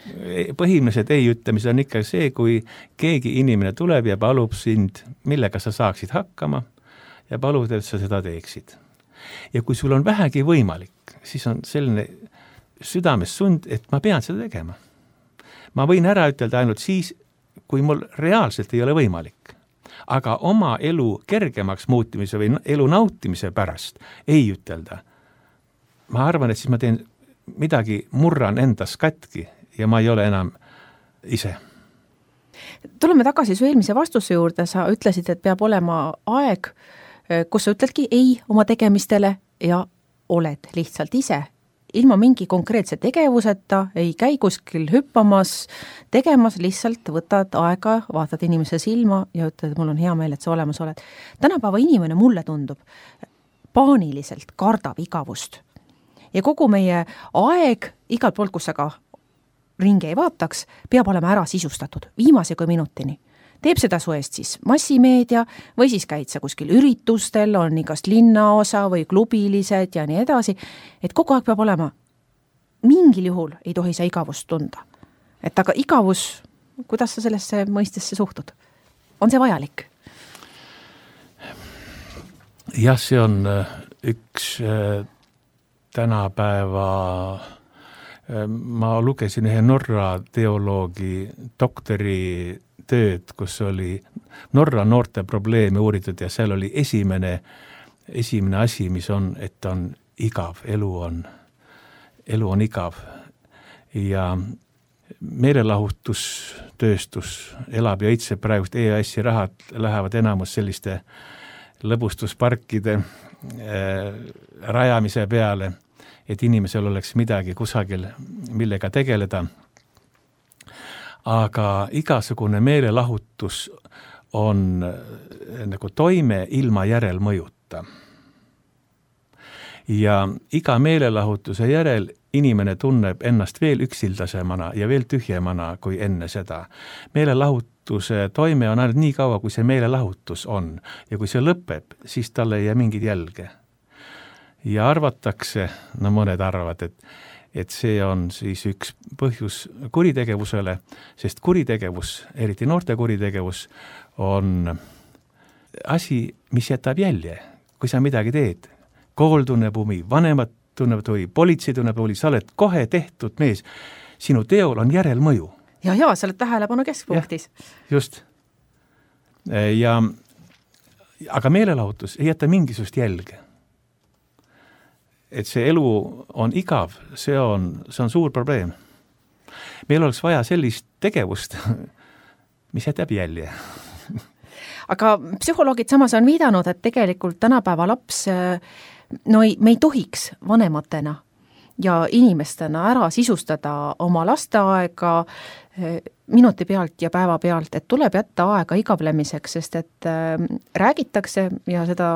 S6: põhimõtteliselt ei ütlemised on ikka see, kui keegi inimene tuleb ja palub sind, millega sa saaksid hakkama ja palub, et sa seda teeksid. Ja kui sul on vähegi võimalik, siis on selline südames sund, et ma pean seda tegema. Ma võin ära ütelda ainult siis, kui mul reaalselt ei ole võimalik. Aga oma elu kergemaks muutimise või elu nautimise pärast ei ütelda. Ma arvan, et siis ma teen midagi, murran endas katki ja ma ei ole enam ise.
S4: Tuleme tagasi su eelmise vastuse juurde, sa ütlesid, et peab olema aeg, kus sa ütledki ei oma tegemistele ja oled lihtsalt ise. Ilma mingi konkreetse tegevuseta, ei käi kuskil hüppamas, tegemas, lihtsalt võtad aega, vaatad inimese silma ja ütled, et mul on hea meel, et sa olemas oled. Tänapäeva inimene mulle tundub paaniliselt kardab igavust. Ja kogu meie aeg, igalt poolt, kus sa ka ringi ei vaataks, peab olema ära sisustatud, viimase kui minutini. Teeb seda su eest siis massimeedia või siis käid sa kuskil üritustel, on igast linnaosa või klubilised ja nii edasi, et kogu aeg peab olema, mingil juhul ei tohi sa igavust tunda. Et aga igavus, kuidas sa sellesse mõistesse suhtud? On see vajalik?
S6: Jah, see on üks tänapäeva, ma lugesin ühe Norra teoloogi doktori tööd, kus oli Norra noorte probleeme uuritud ja seal oli esimene asi, mis on, et on igav, elu on igav ja meelelahutustööstus elab ja õitseb praegust EAS-i rahad lähevad enamus selliste lõbustusparkide rajamise peale, et inimesel oleks midagi kusagil, millega tegeleda. Aga igasugune meelelahutus on nagu toime ilma järelmõjuta. Ja iga meelelahutuse järel inimene tunneb ennast veel üksildasemana ja veel tühjemana kui enne seda. Meelelahutuse toime on ainult nii kaua, kui see meelelahutus on. Ja kui see lõpeb, siis talle ei jää mingid jälge. Ja arvatakse, no mõned arvavad, et see on siis üks põhjus kuritegevusele, sest kuritegevus, eriti noorte kuritegevus, on asi, mis jätab jälje, kui sa midagi teed. Kool tunneb huvi, vanemad tunneb huvi, politsei tunneb huvi, sa oled kohe tehtud mees. Sinu teol on järelmõju.
S4: Ja, sa oled tähelepanu keskpunktis.
S6: Just. Aga meelelahutus ei jäta mingisugust jälge. Et see elu on igav, see on suur probleem. Meil oleks vaja sellist tegevust, mis jätab jälje.
S4: Aga psühholoogid samas on viidanud, et tegelikult tänapäeva laps, me ei tohiks vanematena ja inimestena ära sisustada oma lasteaega minuti pealt ja päeva pealt, et tuleb jätta aega igavlemiseks, sest et räägitakse ja seda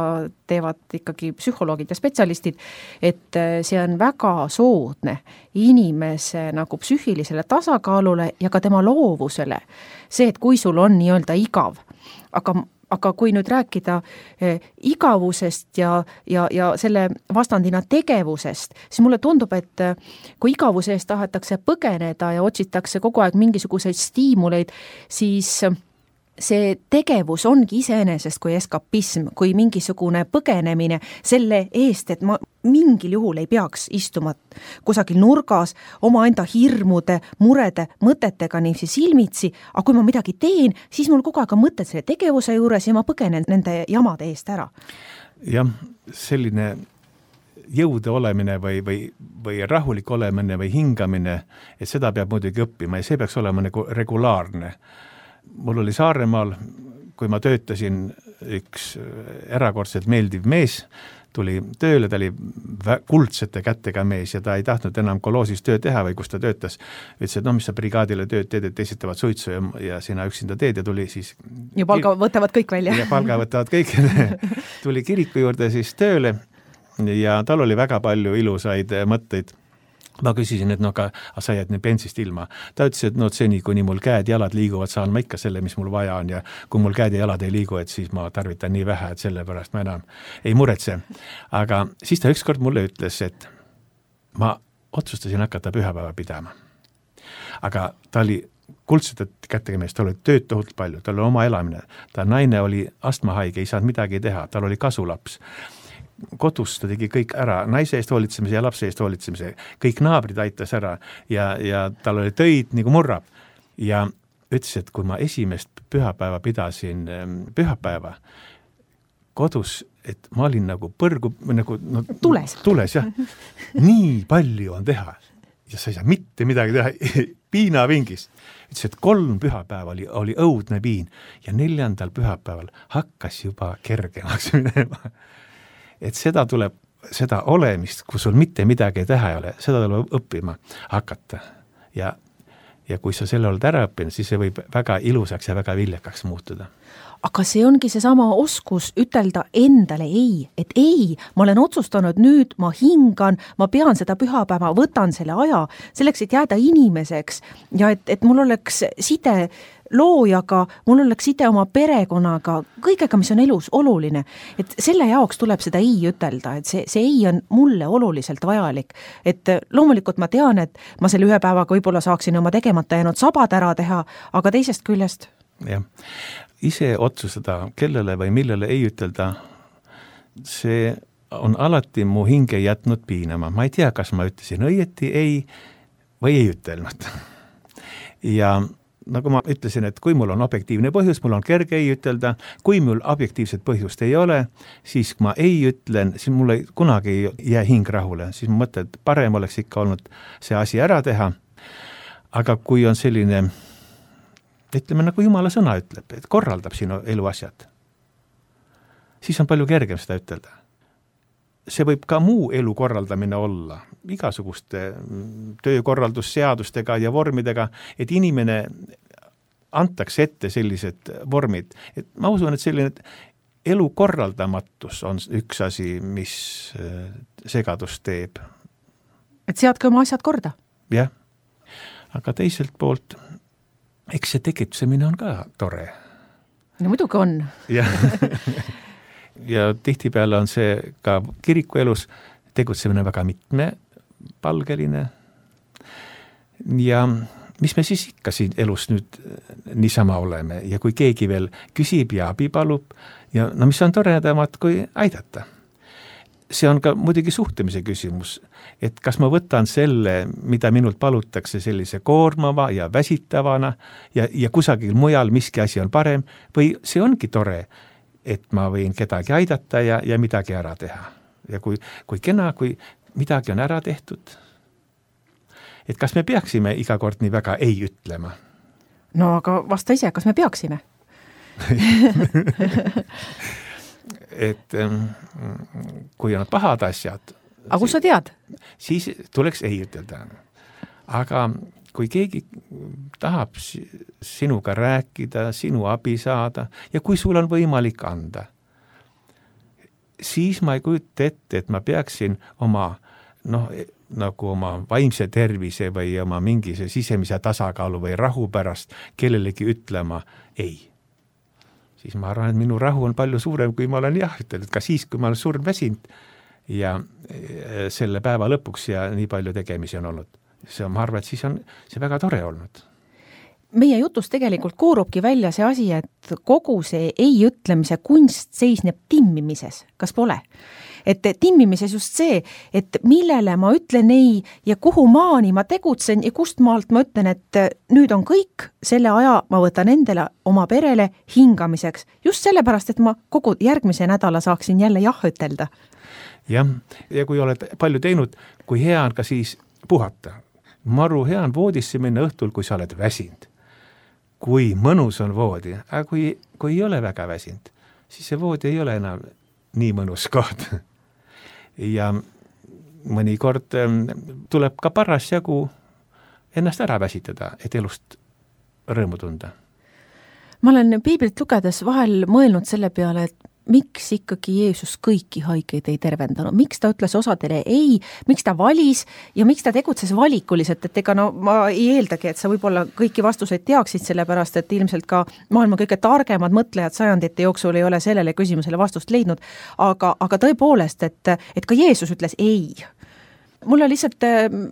S4: teevad ikkagi psühholoogid ja spetsialistid, et see on väga soodne inimese nagu psüühilisele tasakaalule ja ka tema loovusele. See, et kui sul on nii-öelda igav, aga kui nüüd rääkida igavusest ja selle vastandina tegevusest, siis mulle tundub, et kui igavuse eest tahetakse põgeneda ja otsitakse kogu aeg mingisuguseid stiimuleid, siis see tegevus ongi iseenesest kui eskapism, kui mingisugune põgenemine selle eest, et ma mingil juhul ei peaks istuma kusagil nurgas omaenda hirmude, murede, mõtetega niiviisi silmitsi, aga kui ma midagi teen, siis mul kogu aeg on mõtted selle tegevuse juures ja ma põgenen nende jamade eest ära.
S6: Jah, selline jõude olemine või rahulik olemine või hingamine, et seda peab muidugi õppima ja see peaks olema nagu regulaarne. Mul oli Saaremaal, kui ma töötasin, üks erakordselt meeldiv mees, tuli tööle, ta oli kuldsete kättega mees ja ta ei tahtnud enam koloosis töö teha või kus ta töötas. Ütles, et mis sa brigaadile tööd teed, et teised teevad suitsu ja sina üksinda teed ja tuli siis...
S4: Ja palga võtavad kõik välja.
S6: Ja palga võtavad kõik. Tuli kiriku juurde siis tööle ja tal oli väga palju ilusaid mõtteid. Ma küsisin, et aga sa jääd nüüd pensist ilma. Ta ütles, et seni, kuni mul käed ja jalad liiguvad, saan ma ikka selle, mis mul vaja on ja kui mul käed ja jalad ei liigu, et siis ma tarvitan nii vähe, et selle pärast ma enam ei muretse. Aga siis ta ükskord mulle ütles, et ma otsustasin hakata pühapäeva pidama. Aga ta oli kuldsete kättega mees, tal oli tööd tohutult palju, tal oli oma elamine. Ta naine oli astmahaige, ei saanud midagi teha, tal oli kasulaps. Kodus ta tegi kõik ära, naise eest hoolitsemise ja lapse eest hoolitsemise, kõik naabrid aitas ära ja tal oli töid nagu murrab ja ütles, et kui ma esimest pühapäeva pidasin pühapäeva kodus, et ma olin nagu põrgu, nagu tules jah, nii palju on teha ja sa ei saa mitte midagi teha, piinavingis. Ütles, et 3 pühapäeva oli õudne piin ja 4. pühapäeval hakkas juba kergemaks minema. Et seda tuleb, seda olemist, kui sul mitte midagi teha ei ole, seda tuleb õppima hakata. Ja kui sa selle oled ära õppinud, siis see võib väga ilusaks ja väga viljakaks muutuda.
S4: Aga see ongi seesama oskus ütelda endale ei, et ei, ma olen otsustanud nüüd, ma hingan, ma pean seda pühapäeva, võtan selle aja, selleks, et jääda inimeseks ja et mul oleks side loojaga, mul oleks side oma perekonnaga, kõigega, mis on elus oluline. Et selle jaoks tuleb seda ei ütelda, et see ei on mulle oluliselt vajalik. Et loomulikult ma tean, et ma selle ühe päevaga võib-olla saaksin oma tegemata jäänud sabad ära teha, aga teisest küljest.
S6: Jah, ise otsustada, kellele või millele ei ütelda, see on alati mu hinge jätnud piinama. Ma ei tea, kas ma ütlesin õieti ei või ei ütelnud. Ja nagu ma ütlesin, et kui mul on objektiivne põhjus, mul on kerge ei ütelda, kui mul objektiivset põhjust ei ole, siis kui ma ei ütlen, siis mul kunagi ei jää hing rahule, siis ma mõtlen, et parem oleks ikka olnud see asi ära teha, aga kui on selline, ütleme nagu Jumala sõna ütleb, et korraldab sinu eluasjad, siis on palju kergem seda ütelda. See võib ka muu elu korraldamine olla, igasuguste töökorraldusseadustega ja vormidega, et inimene antaks ette sellised vormid. Et ma usun, et selline elu korraldamatus on üks asi, mis segadust teeb.
S4: Et seadke oma asjad korda.
S6: Jah, aga teiselt poolt, eks see tegutsemine on ka tore.
S4: No muidugi on.
S6: Jah. Ja tihtipeale on see ka kirikuelus tegutsemine väga mitmepalgeline. Ja mis me siis ikka siin elus nüüd niisama oleme ja kui keegi veel küsib ja abi palub ja mis on toredamad kui aidata. See on ka muidugi suhtlemise küsimus, et kas ma võtan selle, mida minult palutakse sellise koormava ja väsitavana ja kusagil mujal miski asi on parem või see ongi tore, et ma võin kedagi aidata ja midagi ära teha. Ja kui kena, kui midagi on ära tehtud, et kas me peaksime iga kord nii väga ei ütlema?
S4: No aga vasta ise, kas me peaksime?
S6: Et kui on pahad asjad,
S4: aga kus sa tead?
S6: Siis tuleks ei ütelda. Aga kui keegi tahab sinuga rääkida, sinu abi saada ja kui sul on võimalik anda, siis ma ei kujuta ette, et ma peaksin oma, nagu oma vaimse tervise või oma mingi sisemise tasakaalu või rahu pärast kellelegi ütlema ei. Siis ma arvan, et minu rahu on palju suurem, kui ma olen jah ütelnud, ka siis, kui ma olen surm väsinud ja selle päeva lõpuks ja nii palju tegemisi on olnud. Ma arvan, et siis on see väga tore olnud.
S4: Meie jutus tegelikult koorubki välja see asi, et kogu see ei ütlemise kunst seisneb timmimises, kas pole? Et timmimises just see, et millele ma ütlen ei ja kuhu maani ma tegutsen ja kust maalt ma ütlen, et nüüd on kõik, selle aja ma võtan endale oma perele hingamiseks. Just sellepärast, et ma kogu järgmise nädala saaksin jälle jah ütelda.
S6: Jah, ja kui oled palju teinud, kui hea on ka siis puhata. Maru hea on voodisse minna õhtul, kui sa oled väsinud. Kui mõnus on voodi, aga kui ei ole väga väsinud, siis see voodi ei ole enam nii mõnus koht. ja mõnikord tuleb ka parasjagu ennast ära väsitada, et elust rõõmu tunda.
S4: Ma olen piiblit lugedes vahel mõelnud selle peale, et miks ikkagi Jeesus kõiki haigeid ei tervendanud, miks ta ütles osadele ei, miks ta valis ja miks ta tegutses valikuliselt, et ega no ma ei eeldagi, et sa võib-olla kõiki vastuseid teaksid, sellepärast et ilmselt ka maailma kõige targemad mõtlejad sajandite jooksul ei ole sellele küsimusele vastust leidnud, aga tõepoolest, et ka Jeesus ütles ei. Mulle lihtsalt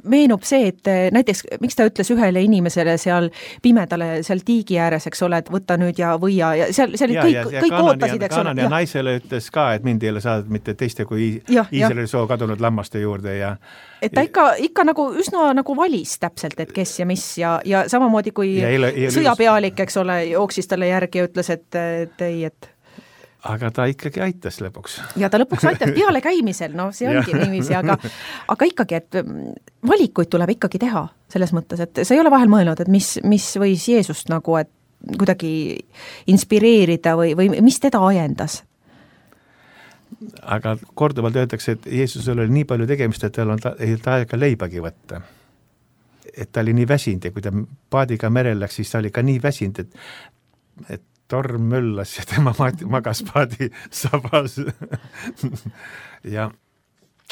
S4: meenub see, et näiteks miks ta ütles ühele inimesele seal pimedale, seal tiigi ääres, eks ole, et võta nüüd ja võia ja seal kõik ootasid, eks ole.
S6: Kanani ja naisele ütles ka, et mind ei ole saadud mitte teiste kui Iisraeli soo kadunud lammaste juurde ja
S4: et ta ikka nagu üsna nagu valis täpselt, et kes ja mis ja samamoodi kui sõjapealik, eks ole, jooksis talle järgi ja ütles, et ei, et
S6: aga ta ikkagi aitas lõpuks.
S4: Ja ta lõpuks aitas peale käimisel, no see ongi niiviisi, aga ikkagi, et valikuid tuleb ikkagi teha selles mõttes, et sa ei ole vahel mõelnud, et mis võis Jeesust nagu, et kuidagi inspireerida või mis teda ajendas?
S6: Aga korduvalt öeldakse, et Jeesusel oli nii palju tegemist, et tal ei aega leibagi võtta. Et ta oli nii väsinud ja kui ta paadiga merel läks, siis ta oli ka nii väsinud, et torm möllas ja tema magas paadi sabas. ja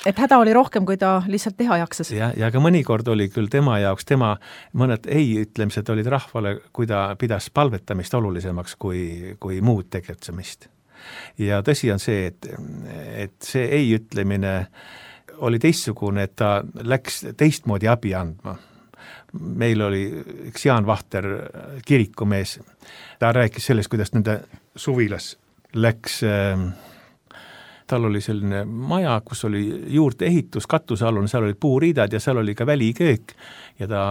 S4: et häda oli rohkem, kui ta lihtsalt teha jaksas.
S6: Ja ka mõnikord oli küll tema jaoks, mõned ei-ütlemised olid rahvale, kui ta pidas palvetamist olulisemaks kui muud tegutsemist. Ja tõsi on see, et see ei-ütlemine oli teistsugune, et ta läks teistmoodi abi andma. Meil oli üks Jaan Vahter, kirikumees, ta rääkis sellest, kuidas nende suvilas läks, tal oli selline maja, kus oli juurde ehitus, katusealune, seal olid puuriidad ja seal oli ka väliköök ja ta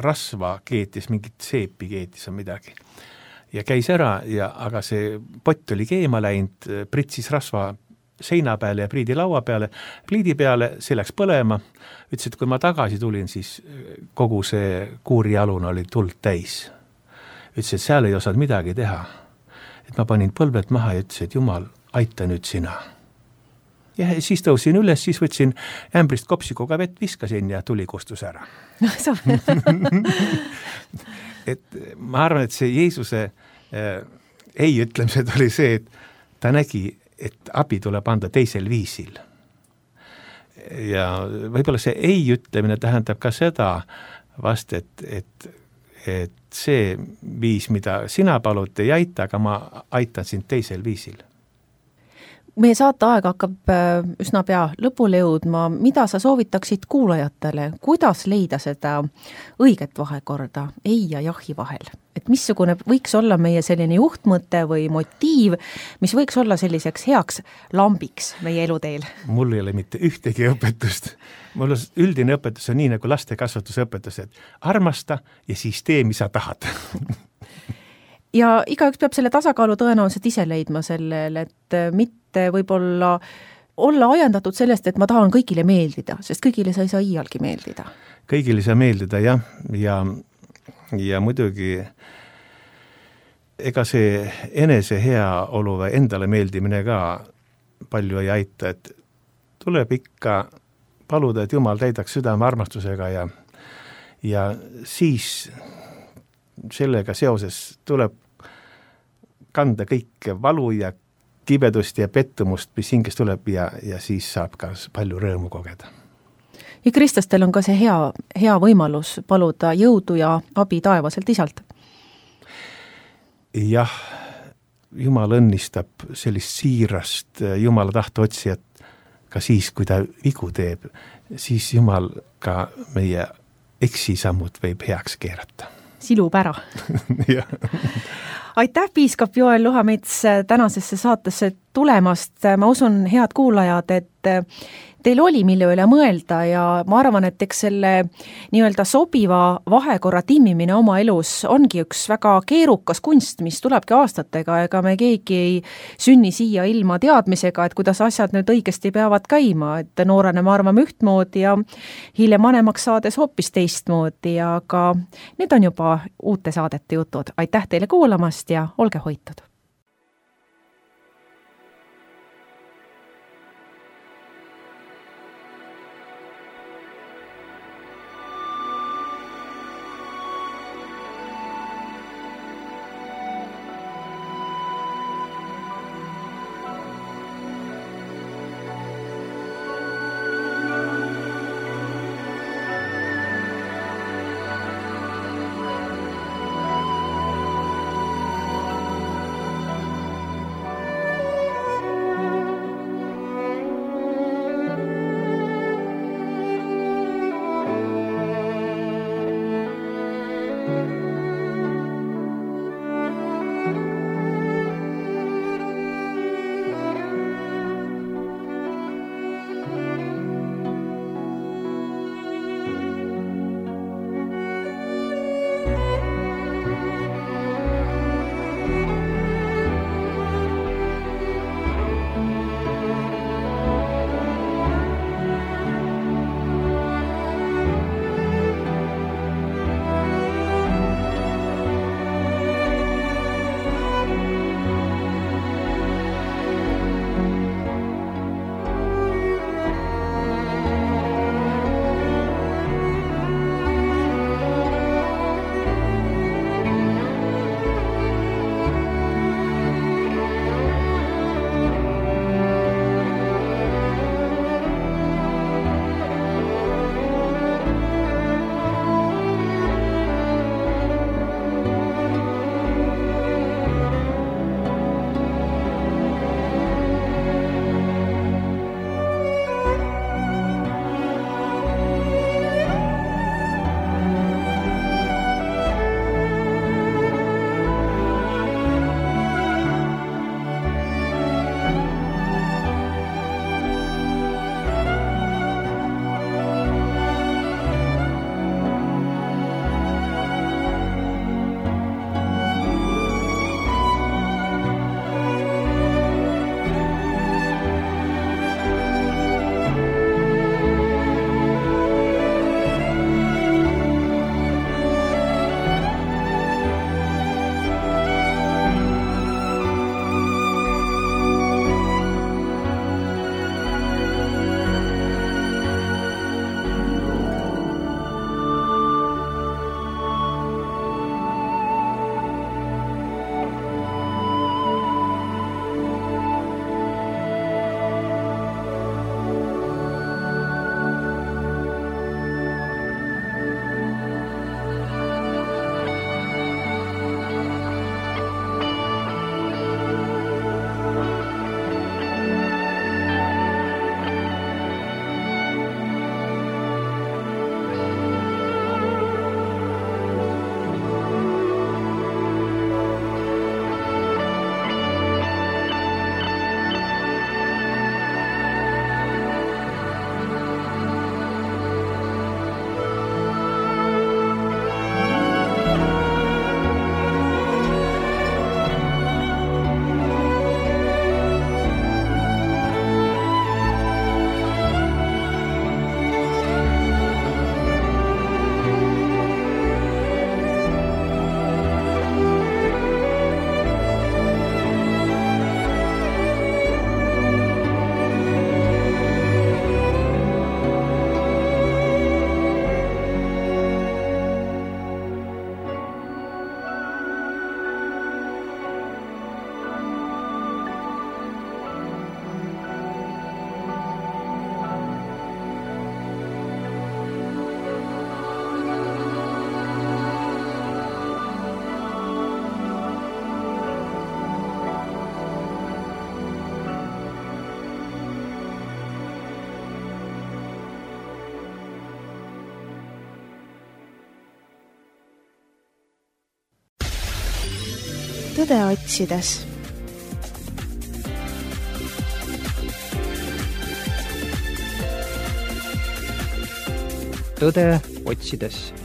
S6: rasva keetis, mingit seepi keetis või midagi. Ja käis ära, aga see pott oli keema läinud, pritsis rasva seina peale ja pliidi laua peale, pliidi peale, see läks põlema, ütles, et kui ma tagasi tulin, siis kogu see kuurialune oli tuld täis. Ütles, et seal ei osanud midagi teha. Et ma panin põlved maha ja ütles, et Jumal, aita nüüd sina. Ja siis tõusin üles, siis võtsin ämbrist kopsikuga vett, viskasin ja tuli kustus ära. Et ma arvan, et see Jeesuse ei ütlemised oli see, et ta nägi, et abi tuleb anda teisel viisil. Ja võib-olla see ei ütlemine tähendab ka seda vast, et see viis, mida sina palud, ei aita, aga ma aitan sind teisel viisil.
S4: Meie saateaeg hakkab üsna pea lõpule jõudma. Mida sa soovitaksid kuulajatele? Kuidas leida seda õiget vahekorda ei ja jahi vahel? Et missugune võiks olla meie selline juhtmõte või motiiv, mis võiks olla selliseks heaks lambiks meie eluteel?
S6: Mul ei ole mitte ühtegi õpetust. Mul üldine õpetus on nii nagu laste kasvatusõpetus, et armasta ja siis tee, mis sa tahad.
S4: Ja igaüks peab selle tasakaalu tõenäoliselt ise leidma sellel, et mitte võib-olla olla ajendatud sellest, et ma tahan kõigile meeldida, sest kõigile sa ei saa iialgi meeldida.
S6: Kõigile ei saa meeldida, jah. Ja muidugi ega see enese heaolu või endale meeldimine ka palju ei aita, et tuleb ikka paluda, et Jumal täidaks südame armastusega ja siis sellega seoses tuleb kanda kõike valu ja kibedust ja pettumust, mis hingest tuleb ja siis saab ka palju rõõmu kogeda.
S4: Ja kristlastel on ka see hea võimalus paluda jõudu ja abi taevaselt isalt.
S6: Jah, Jumal õnnistab sellist siirast Jumala tahte otsijat ka siis, kui ta vigu teeb, siis Jumal ka meie eksisammud võib heaks keerata.
S4: Silub ära. Aitäh, piiskop Joel Luhamets tänasesse saatesse tulemast. Ma usun, head kuulajad, et teil oli mille üle mõelda ja ma arvan, et eks selle nii-öelda sobiva vahekorra timmimine oma elus ongi üks väga keerukas kunst, mis tulebki aastatega, ega me keegi ei sünni siia ilma teadmisega, et kuidas asjad nüüd õigesti peavad käima, et noorena me arvame ühtmoodi ja hiljem vanemaks saades hoopis teistmoodi, aga need on juba uute saadete jutud. Aitäh teile kuulamast ja olge hoitud!
S2: tõde otsides.
S3: Tõde otsides.